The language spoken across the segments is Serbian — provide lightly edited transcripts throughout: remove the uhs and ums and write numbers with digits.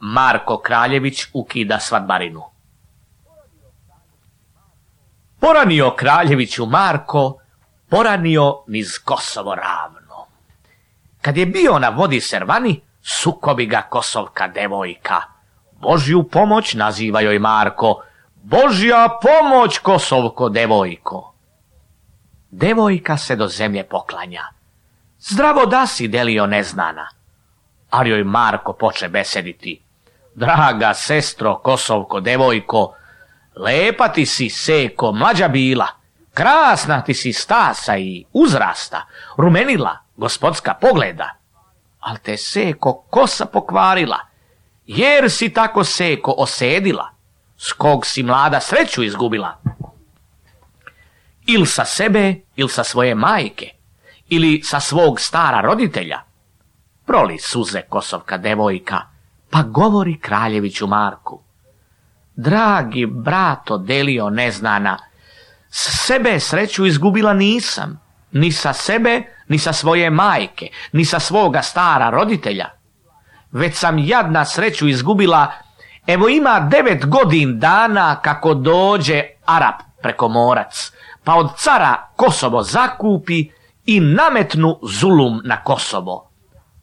Marko Kraljević ukida svadbarinu. Poranio Kraljeviću Marko, poranio niz Kosovo ravno. Kad je bio na vodi Servani, sukobi ga kosovka devojka. Božju pomoć naziva joj Marko, Božja pomoć kosovko devojko. Devojka se do zemlje poklanja. Zdravo da si, Delio neznana. Ali joj Marko poče besediti. Draga sestro kosovko devojko, lepa ti si seko mlađa bila, krasna ti si stasa i uzrasta, rumenila gospodska pogleda, al te seko kosa pokvarila, jer si tako seko osedila, s kog si mlada sreću izgubila. Il sa sebe, il sa svoje majke, ili sa svog stara roditelja. Proli suze kosovka devojka, pa govori Kraljeviću Marku. Dragi brato Delio neznana, s sebe sreću izgubila nisam, ni sa sebe, ni sa svoje majke, ni sa svoga stara roditelja. Već sam jadna sreću izgubila, evo ima 9 godin dana kako dođe Arap preko morac, pa od cara Kosovo zakupi i nametnu zulum na Kosovo.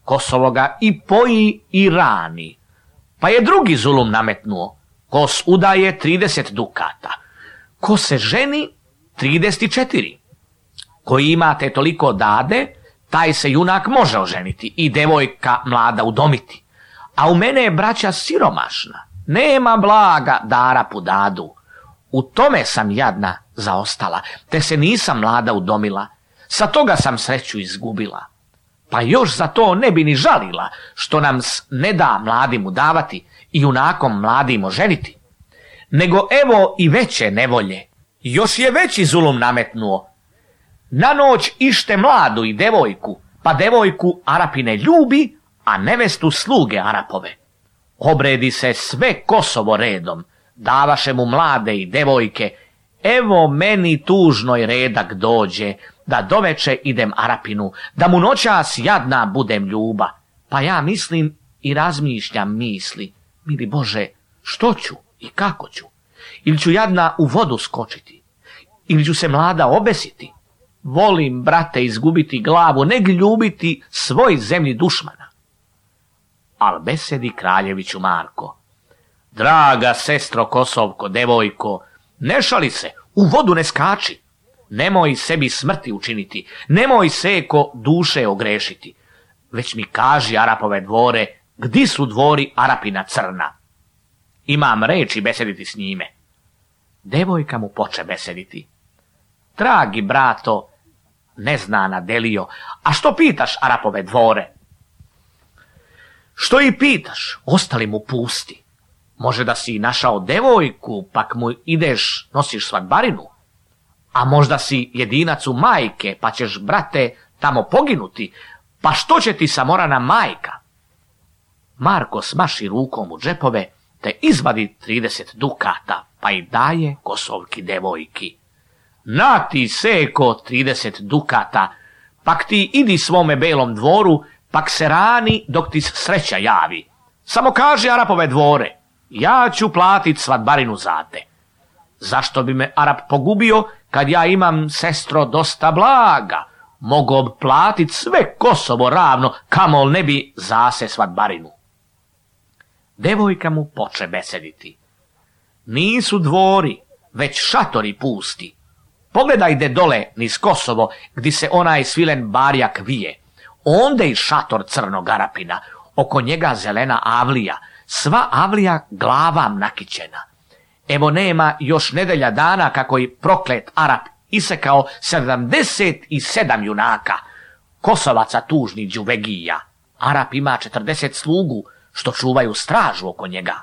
Kosovo ga i poji i rani. Pa je drugi zulum nametnuo, ko udaje 30 dukata, ko se ženi 34. Koji imate toliko dade, taj se junak može oženiti i devojka mlada udomiti. A u mene je braća siromašna, nema blaga da Arapu dadu. U tome sam jadna zaostala, te se nisam mlada udomila, sa toga sam sreću izgubila. Pa još za to ne bi ni žalila, što nam ne da mladim udavati i junakom mladim oženiti. Nego evo i veće nevolje, još je veći zulum nametnuo. Na noć ište mladu i devojku, pa devojku Arapine ljubi, a nevestu sluge Arapove. Obredi se sve Kosovo redom, davaše mu mlade i devojke, evo meni tužnoj redak dođe, da doveče idem Arapinu, da mu noćas jadna budem ljuba. Pa ja mislim i razmišljam misli, mili Bože, što ću i kako ću? Ili ću jadna u vodu skočiti? Ili ću se mlada obesiti? Volim, brate, izgubiti glavu, neg ljubiti svoj zemlji dušmana. Al besedi Kraljeviću Marko. Draga sestro kosovko devojko, ne šali se, u vodu ne skači. Nemoj sebi smrti učiniti, nemoj seko duše ogrešiti. Već mi kaži Arapove dvore, gdi su dvori Arapina crna. Imam reči besediti s njime. Devojka mu poče besediti. Dragi brato, neznana Delio, a što pitaš Arapove dvore? Što i pitaš, ostali mu pusti. Može da si našao devojku, pak mu ideš, nosiš svadbarinu. A možda si jedinac u majke, pa ćeš, brate, tamo poginuti, pa što će ti samorana majka? Marko smaši rukom u džepove, te izvadi 30 dukata, pa i daje kosovki devojki. Na ti seko 30 dukata, pak ti idi svome belom dvoru, pak se rani dok ti sreća javi. Samo kaži Arapove dvore, ja ću platit svadbarinu za te. Zašto bi me Arap pogubio, kad ja imam, sestro, dosta blaga? Mogo bi platit sve Kosovo ravno, kamol ne bi zase svadbarinu. Devojka mu poče besediti. Nisu dvori, već šatori pusti. Pogledajde dole niz Kosovo, gdje se onaj svilen barjak vije. Onde i šator crnog Arapina, oko njega zelena avlija, sva avlija glavam nakićena. Evo nema još nedelja dana kako je proklet Arap isekao 77 junaka, Kosovaca tužni đuvegija. Arap ima 40 slugu, što čuvaju stražu oko njega.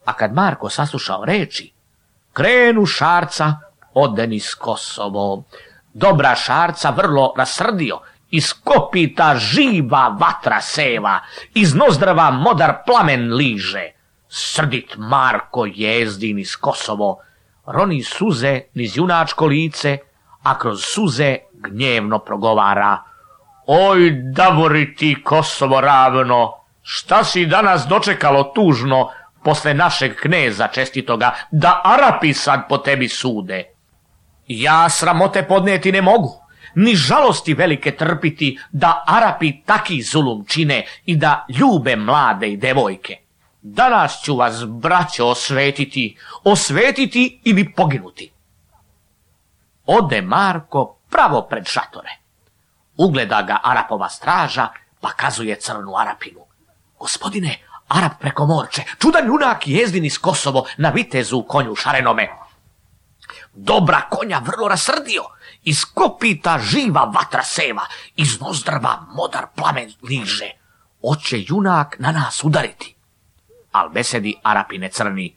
A kad Marko saslušao reči, krenu šarca ode niz Kosovo. Dobra šarca vrlo rasrdio, iz kopita živa vatra seva, iz nozdrava modar plamen liže. Srdit Marko jezdi niz Kosovo, roni suze niz junačko lice, a kroz suze gnjevno progovara. Oj, davori ti Kosovo ravno, Šta si danas dočekalo tužno posle našeg kneza čestitoga, da Arapi sad po tebi sude? Ja sramote podnijeti ne mogu, ni žalosti velike trpiti, da Arapi taki zulum čine i da ljube mlade i devojke. Danas ću vas, braćo, osvetiti ili poginuti. Ode Marko pravo pred šatore. Ugleda ga Arapova straža, pa kazuje crnu Arapinu: gospodine, Arap preko morče, čudan junak jezdin iz Kosovo na vitezu u konju šarenome. Dobra konja vrlo rasrdio, iz kopita živa vatra seva, iz nozdrva modar plamen liže. Oće junak na nas udariti. Al besedi Arapine crni: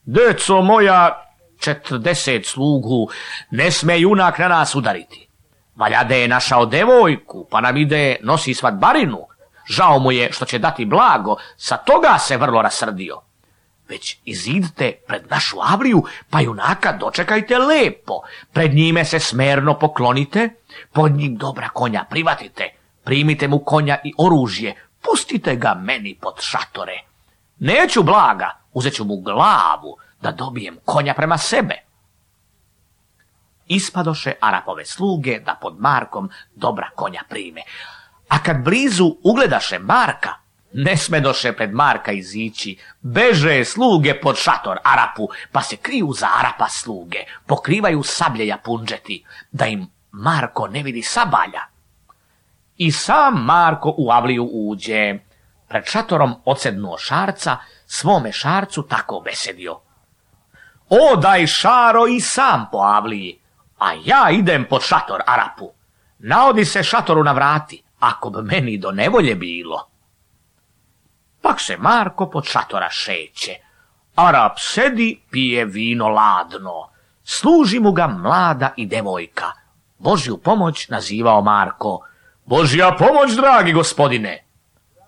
deco moja, 40 slugu, ne sme junak na nas udariti. Valjade je našao devojku, pa nam ide nosi svadbarinu. Žao mu je što će dati blago, sa toga se vrlo rasrdio. Već izidite pred našu avliju, pa junaka dočekajte lepo. Pred njime se smerno poklonite, pod njim dobra konja privatite, primite mu konja i oružje, pustite ga meni pod šatore. Neću blaga, uzet ću mu glavu, da dobijem konja prema sebe. Ispadoše Arapove sluge da pod Markom dobra konja prime. A kad blizu ugledaše Marka, ne smedoše pred Marka izići, beže sluge pod šator Arapu, pa se kriju za Arapa sluge, pokrivaju sablje japunđeti, da im Marko ne vidi sabalja. I sam Marko u avliju uđe, pred šatorom odsednuo šarca, svome šarcu tako besedio: o, daj šaro i sam po avliji, a ja idem pod šator Arapu. Naodi se šatoru na vrati, ako bi meni do nevolje bilo. Pak se Marko pod šatora šeće. Arap sedi, pije vino ladno. Služi mu ga mlada i devojka. Božju pomoć nazivao Marko: Božja pomoć, dragi gospodine.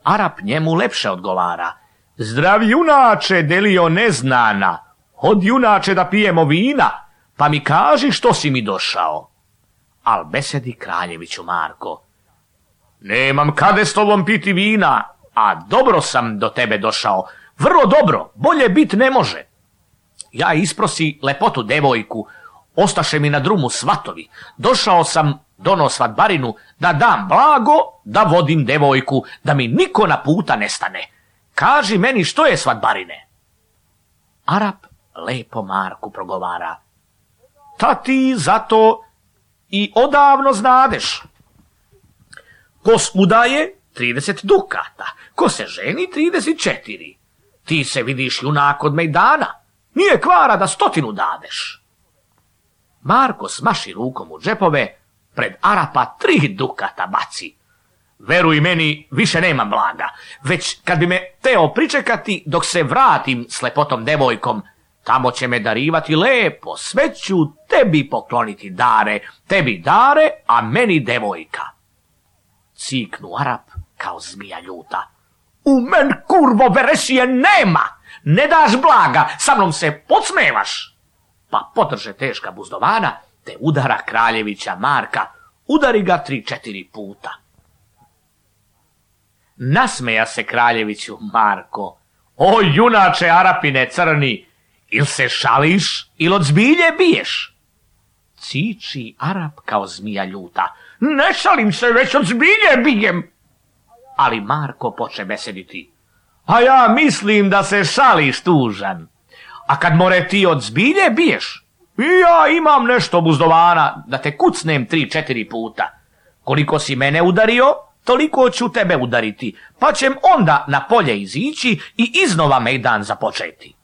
Arap njemu lepše odgovara: zdravi junače, delio neznana, od junače da pijemo vina, pa mi kaži što si mi došao. Al besedi kraljeviću Marko: nemam kade s tobom piti vina, a dobro sam do tebe došao, vrlo dobro, bolje bit ne može. Ja isprosi lepotu devojku, ostaše mi na drumu svatovi, došao sam dono svadbarinu, da dam blago, da vodim devojku, da mi niko na puta ne stane. Kaži meni što je svadbarine. Arap lepo Marku progovara: ta ti zato i odavno znadeš. Ko udaje 30 dukata, ko se ženi 34. Ti se vidiš junak od mejdana, nije kvara da 100 dadeš. Marko smaši rukom u džepove, pred Arapa 3 dukata baci. Veruj meni, više nemam blaga, već kad bi me teo pričekati dok se vratim s lepotom devojkom, tamo će me darivati lepo, sve ću tebi pokloniti dare, tebi dare, a meni devojka. Ciknu Arap kao zmija ljuta: u men kurvo veresije nema, ne daš blaga, sa mnom se podsmevaš. Pa podrže teška buzdovana, te udara kraljevića Marka, udari ga 3-4 puta. Nasmeja se kraljeviću Marko: o junače Arapine crni, il se šališ, il od zbilje biješ? Ciči Arap kao zmija ljuta: ne šalim se, već od zbilje bijem. Ali Marko poče besediti: a ja mislim da se šališ tužan. A kad more ti od zbilje biješ, ja imam nešto buzdovana da te kucnem 3-4 puta. Koliko si mene udario, toliko ću tebe udariti, pa ćem onda na polje izići i iznova mejdan započeti.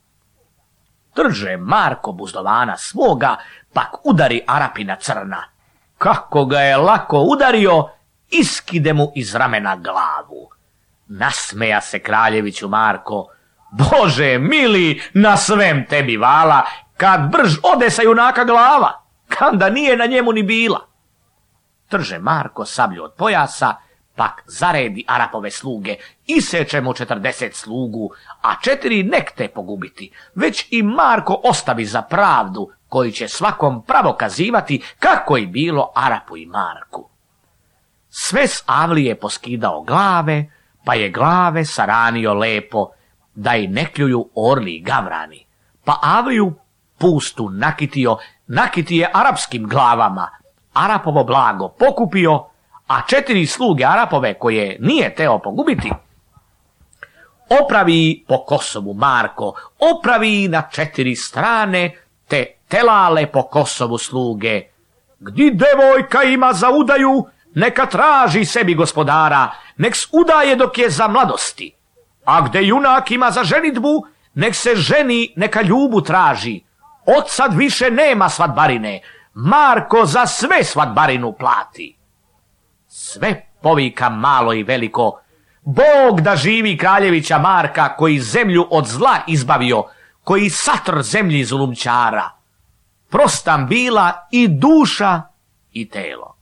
Drže Marko buzdovana svoga, pak udari Arapina crna. Kako ga je lako udario, iskide mu iz ramena glavu. Nasmeja se kraljeviću Marko: Bože mili, na svem tebi vala, kad brž ode sa junaka glava, kanda nije na njemu ni bila. Trže Marko sablju od pojasa, pak zaredi Arapove sluge, iseče mu 40 slugu, a 4 nek te pogubiti, već i Marko ostavi za pravdu, koji će svakom pravo kazivati kako je bilo Arapu i Marku. Sve s avlije poskidao glave, pa je glave saranio lepo, da i ne kljuju orli i gavrani, pa avliju pustu nakitije arapskim glavama, Arapovo blago pokupio, a 4 sluge Arapove koje nije teo pogubiti, opravi po Kosovu Marko, opravi na 4 strane, te telale po Kosovu sluge. Gdi devojka ima za udaju, neka traži sebi gospodara, nek udaje dok je za mladosti. A gde junak ima za ženidbu, nek se ženi, neka ljubu traži. Od sad više nema svadbarine, Marko za sve svadbarinu plati. Sve povika malo i veliko, Bog da živi kraljevića Marka, koji zemlju od zla izbavio, koji satr zemlji zulumčara. Prostam bila i duša i telo.